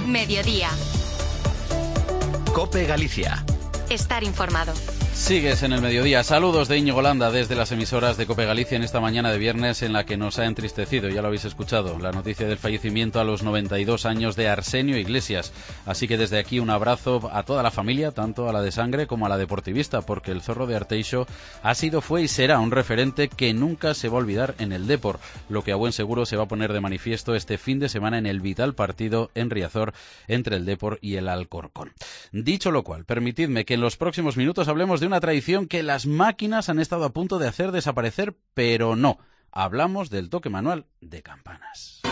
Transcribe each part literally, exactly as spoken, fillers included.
Mediodía. COPE Galicia. Estar informado. Sigues en el mediodía. Saludos de Íñigo Landa desde las emisoras de COPE Galicia en esta mañana de viernes en la que nos ha entristecido, ya lo habéis escuchado, la noticia del fallecimiento a los noventa y dos años de Arsenio Iglesias. Así que desde aquí un abrazo a toda la familia, tanto a la de sangre como a la deportivista, porque el Zorro de Arteixo ha sido, fue y será un referente que nunca se va a olvidar en el Depor, lo que a buen seguro se va a poner de manifiesto este fin de semana en el vital partido en Riazor entre el Depor y el Alcorcón. Dicho lo cual, permitidme que en los próximos minutos hablemos de una tradición que las máquinas han estado a punto de hacer desaparecer, pero no. Hablamos del toque manual de campanas.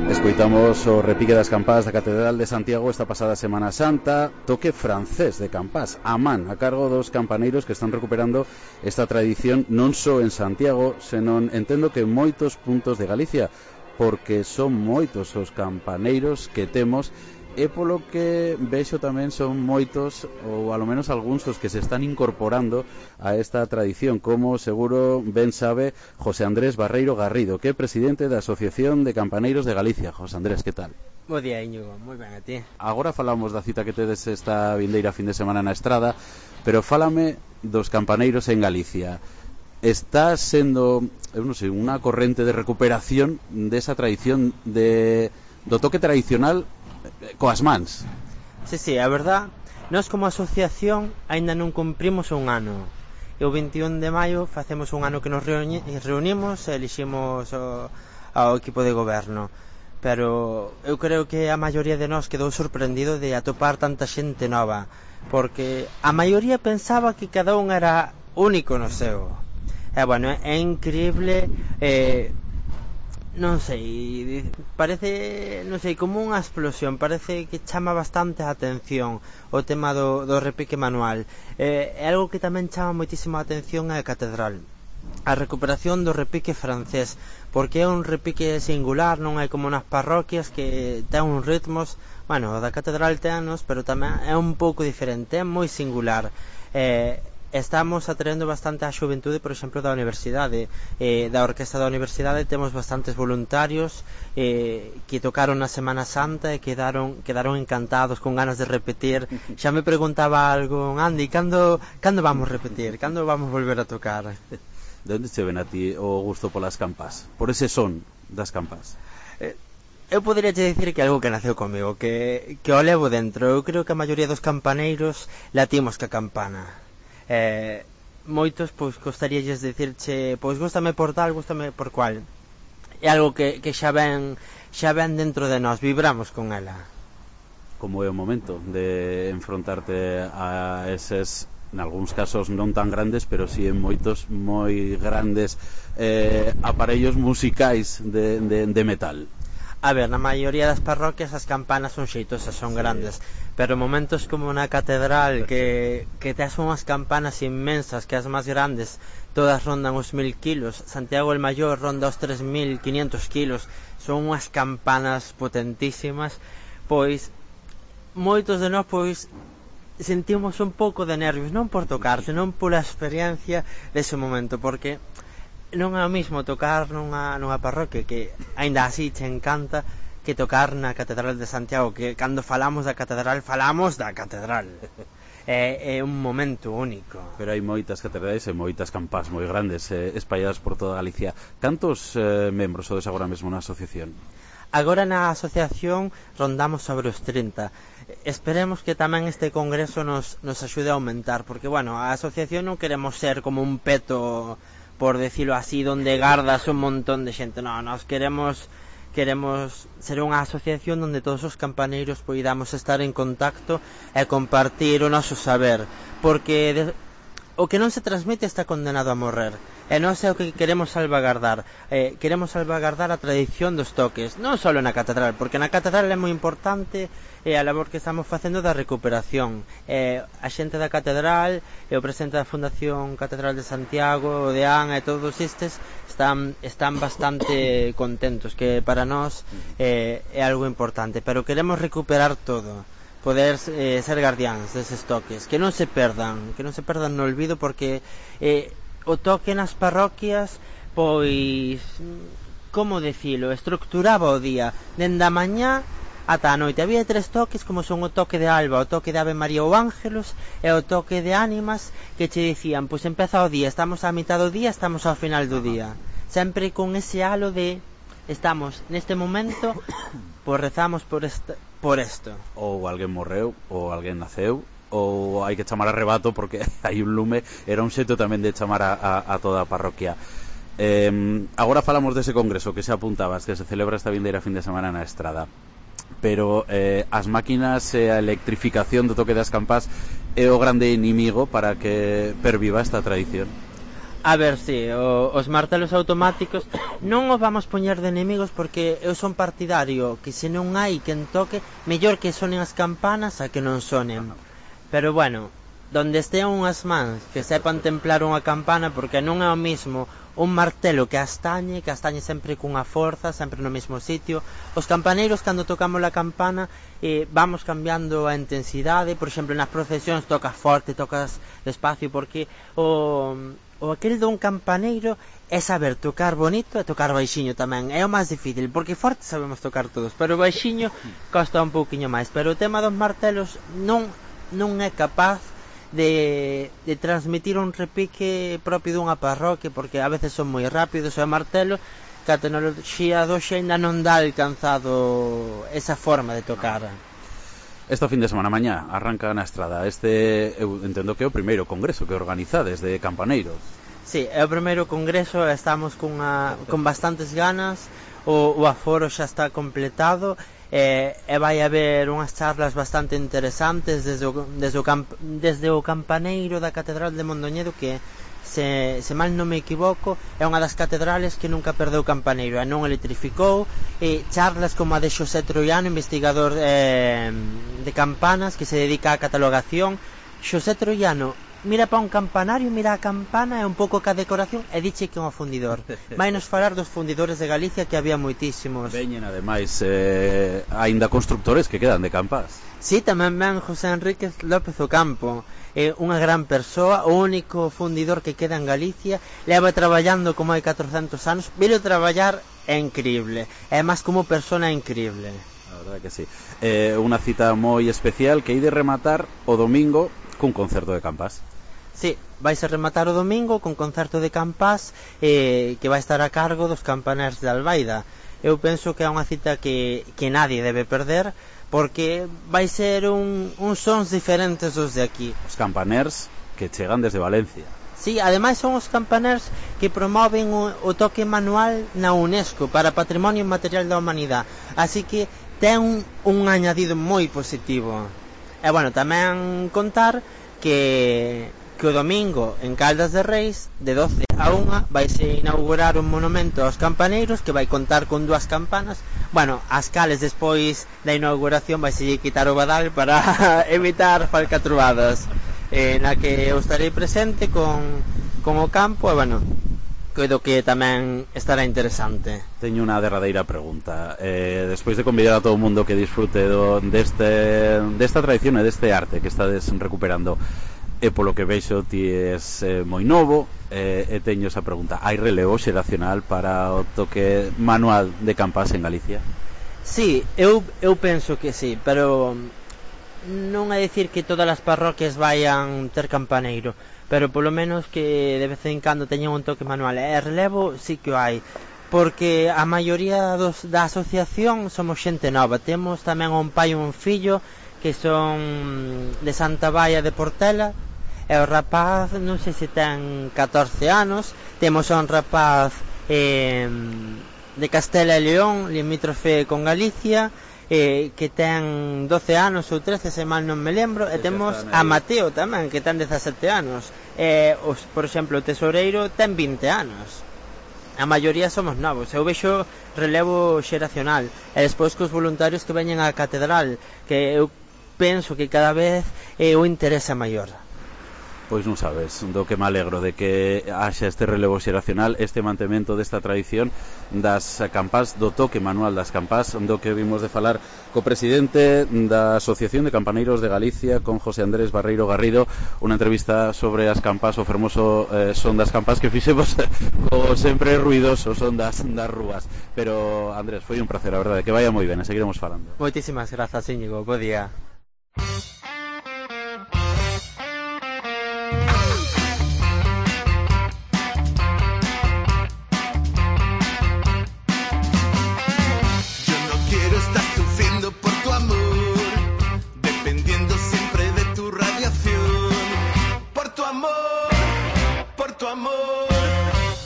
Escoitamos o repique das campás da Catedral de Santiago esta pasada Semana Santa, toque francés de campás, a man, a cargo dos campaneiros que están recuperando esta tradición non só en Santiago, senón entendo que en moitos puntos de Galicia, porque son moitos os campaneiros que temos, e polo que vexo tamén son moitos, ou alo menos algúns, os que se están incorporando a esta tradición, como seguro ben sabe José Andrés Barreiro Garrido, que é presidente da Asociación de Campaneiros de Galicia. José Andrés, que tal? Bo día, Íñigo, moi ben a ti. Agora falamos da cita que tedes esta vindeira fin de semana na Estrada, pero fálame dos campaneiros en Galicia. Está sendo, eu non sei, unha corrente de recuperación desa tradición de, do toque tradicional coas mans. Sí, sí, a verdad, nós como asociación aínda non cumprimos un ano. E o veinti e un de maio facemos un ano que nos reuni- reunimos e eliximos o, ao equipo de goberno. Pero eu creo que a maioría de nós quedou sorprendido de atopar tanta xente nova, porque a maioría pensaba que cada un era único no seu. E bueno, é increíble, eh, non sei, parece, non sei, como unha explosión, parece que chama bastante a atención o tema do, do repique manual. Eh, é algo que tamén chama moitísima a atención a Catedral, a recuperación do repique francés, porque é un repique singular, non é como nas parroquias que ten uns ritmos, bueno, o da Catedral tenos, pero tamén é un pouco diferente, é moi singular. Eh, Estamos atraendo bastante a xuventude, por exemplo, da universidade, eh, da orquesta da universidade. Temos bastantes voluntarios eh, que tocaron na Semana Santa e quedaron, quedaron encantados, con ganas de repetir. Xa me preguntaba algo, Andy, cando, cando vamos repetir? Cando vamos volver a tocar? De onde che ven a ti o gusto polas campas? Por ese son das campas? Eh, eu poderia te dicir que é algo que naceu comigo, que, que o levo dentro. Eu creo que a maioría dos campaneiros latimos ca campana. Eh, moitos pois gostaríalles dicirche, pois góstame por tal, góstame por cual. É algo que, que xa ven xa ven dentro de nós, vibramos con ela. Como é o momento de enfrontarte a eses, nalgúns casos non tan grandes, pero si sí en moitos moi grandes eh, aparellos musicais de, de, de metal? A ver, na maioría das parroquias as campanas son xeitosas, son grandes, pero momentos como na Catedral que, que tes unhas campanas inmensas, que as máis grandes todas rondan os mil kilos, Santiago el Mayor ronda os tres mil quinientos kilos, son unhas campanas potentísimas, pois moitos de nós pois sentimos un pouco de nervios, non por tocar, senón pola experiencia dese momento, porque non é o mismo tocar nunha, nunha parroquia que aínda así che encanta que tocar na Catedral de Santiago, que cando falamos da Catedral falamos da Catedral. É, é un momento único. Pero hai moitas catedrales e moitas campás moi grandes eh, espalladas por toda Galicia. Cantos eh, membros sodes agora mesmo na asociación? Agora na asociación rondamos sobre os trinta. Esperemos que tamén este congreso nos, nos axude a aumentar, porque bueno, a asociación non queremos ser como un peto, por decirlo así, donde gardas un montón de xente. No, nos queremos queremos ser unha asociación onde todos os campaneiros poidamos estar en contacto e compartir o noso saber, porque de, o que non se transmite está condenado a morrer. E non sei o que queremos salvagardar. Eh, queremos salvagardar a tradición dos toques, non só na Catedral, porque na Catedral é moi importante eh, a labor que estamos facendo da recuperación. Eh, a xente da Catedral e o presidente da Fundación Catedral de Santiago, o de A N e todos estes están, están bastante contentos, que para nós eh, é algo importante, pero queremos recuperar todo, poder eh, ser guardiáns deses toques, que non se perdan, que non se perdan no olvido, porque eh, o toque nas parroquias, pois, como decilo, estructuraba o día, dende a mañá ata a noite. Había tres toques, como son o toque de alba, o toque de Ave María ou Ángelos e o toque de ánimas, que che dicían, pois empeza o día, estamos á mitad do día, estamos ao final do día, sempre con ese halo de estamos neste momento, pois rezamos por esta, por isto. Ou alguén morreu, ou alguén naceu, ou hai que chamar a rebato porque hai un lume. Era un xeito tamén de chamar a, a, a toda a parroquia. eh, Agora falamos dese congreso que se apuntabas, que se celebra esta vindeira fin de semana na Estrada, pero eh, as máquinas e a electrificación do toque das campás é o grande inimigo para que perviva esta tradición. A ver, si, sí, os martelos automáticos non os vamos poñer de enemigos, porque eu son partidario que se non hai quen toque, mellor que sonen as campanas a que non sonen. Pero bueno, donde estean unhas mans que sepan templar unha campana, porque non é o mismo un martelo que astañe, que astañe sempre cunha forza, sempre no mesmo sitio. Os campaneiros, cando tocamos a campana, eh, vamos cambiando a intensidade. Por exemplo, nas procesións tocas forte, tocas despacio, porque o... o aquel dun campaneiro é saber tocar bonito e tocar baixiño tamén. É o máis difícil, porque forte sabemos tocar todos, pero baixiño costa un pouquiño máis. Pero o tema dos martelos non, non é capaz de, de transmitir un repique propio dunha parroquia, porque a veces son moi rápidos, e o martelo, que a tecnoloxía do xe ainda non dá alcanzado esa forma de tocar. Esta fin de semana mañá arranca na Estrada. Este, eu entendo que é o primeiro congreso que organizades de campaneiros. Sí, é o primeiro congreso, estamos cunha, con bastantes ganas. O, o aforo xa está completado, e, e vai haber unhas charlas bastante interesantes desde o, desde o, camp, desde o campaneiro da Catedral de Mondoñedo, que Se, se mal non me equivoco, é unha das catedrales que nunca perdeu campaneiro e non electrificou. E charlas como a de Xosé Troiano, investigador eh, de campanas, que se dedica á catalogación. Xosé Troiano mira para un campanario, mira a campana e un pouco ca decoración e diche que é un fundidor. Vai nos falar dos fundidores de Galicia, que había moitísimos. Veñen ademais eh, aínda constructores que quedan de campas. Sí, tamén ven José Enríquez López Ocampo, é unha gran persoa, o único fundidor que queda en Galicia. Leva traballando como hai catrocentos anos. Velo traballar é increíble, é máis como persona increíble. A verdade que sí. eh, Unha cita moi especial que hai de rematar o domingo cun concerto de campás. Sí, vais a rematar o domingo con concerto de campás, eh, que vai estar a cargo dos campaners de Albaida. Eu penso que é unha cita que, que nadie debe perder, porque vai ser un, uns sons diferentes dos de aquí. Os campaners que chegan desde Valencia. Sí, ademais son os campaners que promoven o, o toque manual na UNESCO para Patrimonio Inmaterial da Humanidade, así que ten un, un añadido moi positivo. E bueno, tamén contar que, que o domingo en Caldas de Reis, de doce a unha, vaise inaugurar un monumento aos campaneiros que vai contar con dúas campanas. Bueno, as cales despois da inauguración vai se quitar o badal para evitar falcatruadas, eh, na que eu estarei presente con, con o campo. E bueno, coido que tamén estará interesante. Teño unha derradeira pregunta. eh, Despois de convidar a todo o mundo que disfrute do, deste, desta tradición e deste arte que estades recuperando, e polo que veixo ti és eh, moi novo, eh, e teño esa pregunta: hai relevo xeracional para o toque manual de campás en Galicia? Sí, eu, eu penso que sí, pero non é dicir que todas as parroquias vayan ter campaneiro, pero polo menos que de vez en cando teñan un toque manual. E relevo sí que o hai, porque a maioría dos, da asociación somos xente nova. Temos tamén un pai e un fillo que son de Santa Baia de Portela, e o rapaz non sei se ten catorce anos. Temos a un rapaz eh, de Castela e León, limítrofe con Galicia, eh, que ten doce anos ou trece, se mal non me lembro. E temos a Mateo tamén, que ten dezasete anos. E, os, por exemplo, o tesoureiro ten vinte anos. A maioría somos novos. Eu vexo relevo xeracional. E despois cos voluntarios que veñen á catedral, que eu penso que cada vez eh, o interese maior. Pois non sabes, do que me alegro de que haxa este relevo xeracional, este mantemento desta tradición das campás, do toque manual das campás, do que vimos de falar co presidente da Asociación de Campaneiros de Galicia, con José Andrés Barreiro Garrido, unha entrevista sobre as campás, o fermoso eh, son das campás que fixemos co sempre ruidoso son das, das rúas. Pero, Andrés, foi un placer, a verdade, que vaya moi ben, e seguiremos falando. Moitísimas grazas, Íñigo, bo día.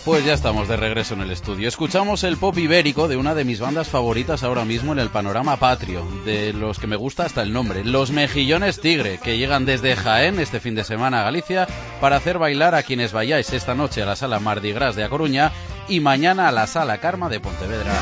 Pues ya estamos de regreso en el estudio. Escuchamos el pop ibérico de una de mis bandas favoritas ahora mismo en el panorama patrio, de los que me gusta hasta el nombre, Los Mejillones Tigre, que llegan desde Jaén este fin de semana a Galicia para hacer bailar a quienes vayáis esta noche a la Sala Mardi Gras de A Coruña y mañana a la Sala Karma de Pontevedra.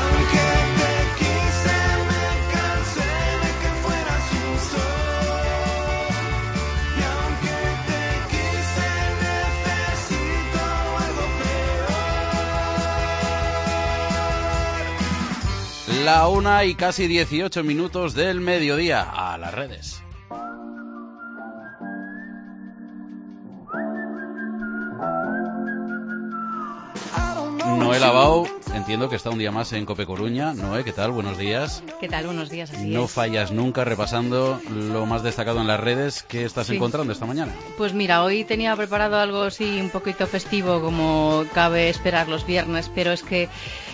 La una y casi dieciocho minutos del mediodía. A las redes. Noé Lavao, entiendo que está un día más en Cope Coruña. Noé, ¿qué tal? Buenos días. ¿Qué tal? Buenos días, así No es. fallas nunca repasando lo más destacado en las redes. ¿Qué estás Sí. encontrando esta mañana? Pues mira, hoy tenía preparado algo así un poquito festivo, como cabe esperar los viernes, pero es que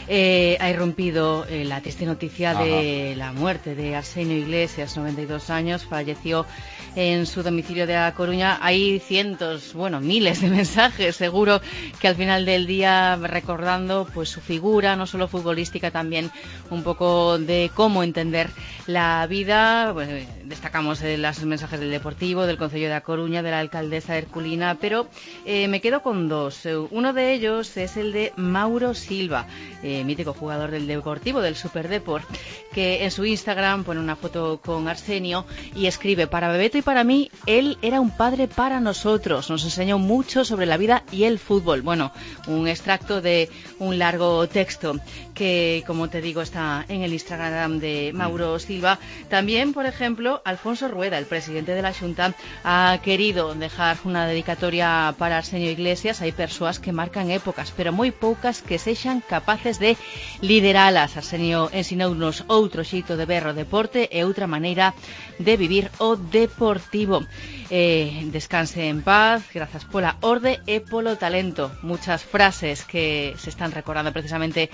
eh, ha irrumpido eh, la triste noticia Ajá. de la muerte de Arsenio Iglesias, noventa y dos años, falleció en su domicilio de A Coruña. Hay cientos, bueno, miles de mensajes, seguro que al final del día recordando pues su figura, no solo futbolística, también un poco de cómo entender la vida. Pues, destacamos eh, los mensajes del Deportivo, del Concello de A Coruña, de la alcaldesa Herculina, pero eh, me quedo con dos. Uno de ellos es el de Mauro Silva, eh, mítico jugador del Deportivo, del Superdeport, que en su Instagram pone una foto con Arsenio y escribe: para Bebeto y para mí, él era un padre para nosotros, nos enseñó mucho sobre la vida y el fútbol. Bueno, un extracto de un largo texto que, como te digo, está en el Instagram de Mauro Silva. También, por ejemplo, Alfonso Rueda, el presidente de la Xunta, ha querido dejar una dedicatoria para Arsenio Iglesias. Hai persoas que marcan épocas, pero moi poucas que sexan capaces de lideralas. Arsenio ensinounos outro xeito de ver o deporte e outra maneira de vivir o deportivo. Eh, descanse en paz, grazas pola orde e polo talento. Muchas frases que se están recordando precisamente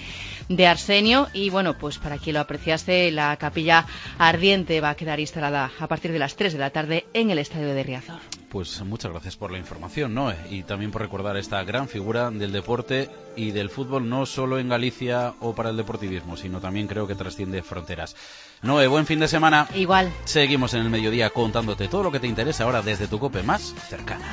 de Arsenio, y bueno, pues para quien lo apreciaste, la capilla ardiente va a quedar instalada a partir de las tres de la tarde en el estadio de Riazor. Pues muchas gracias por la información, Noé, y también por recordar esta gran figura del deporte y del fútbol, no solo en Galicia o para el deportivismo, sino también creo que trasciende fronteras. Noé, buen fin de semana. Igual. Seguimos en el mediodía contándote todo lo que te interesa ahora desde tu COPE más cercana.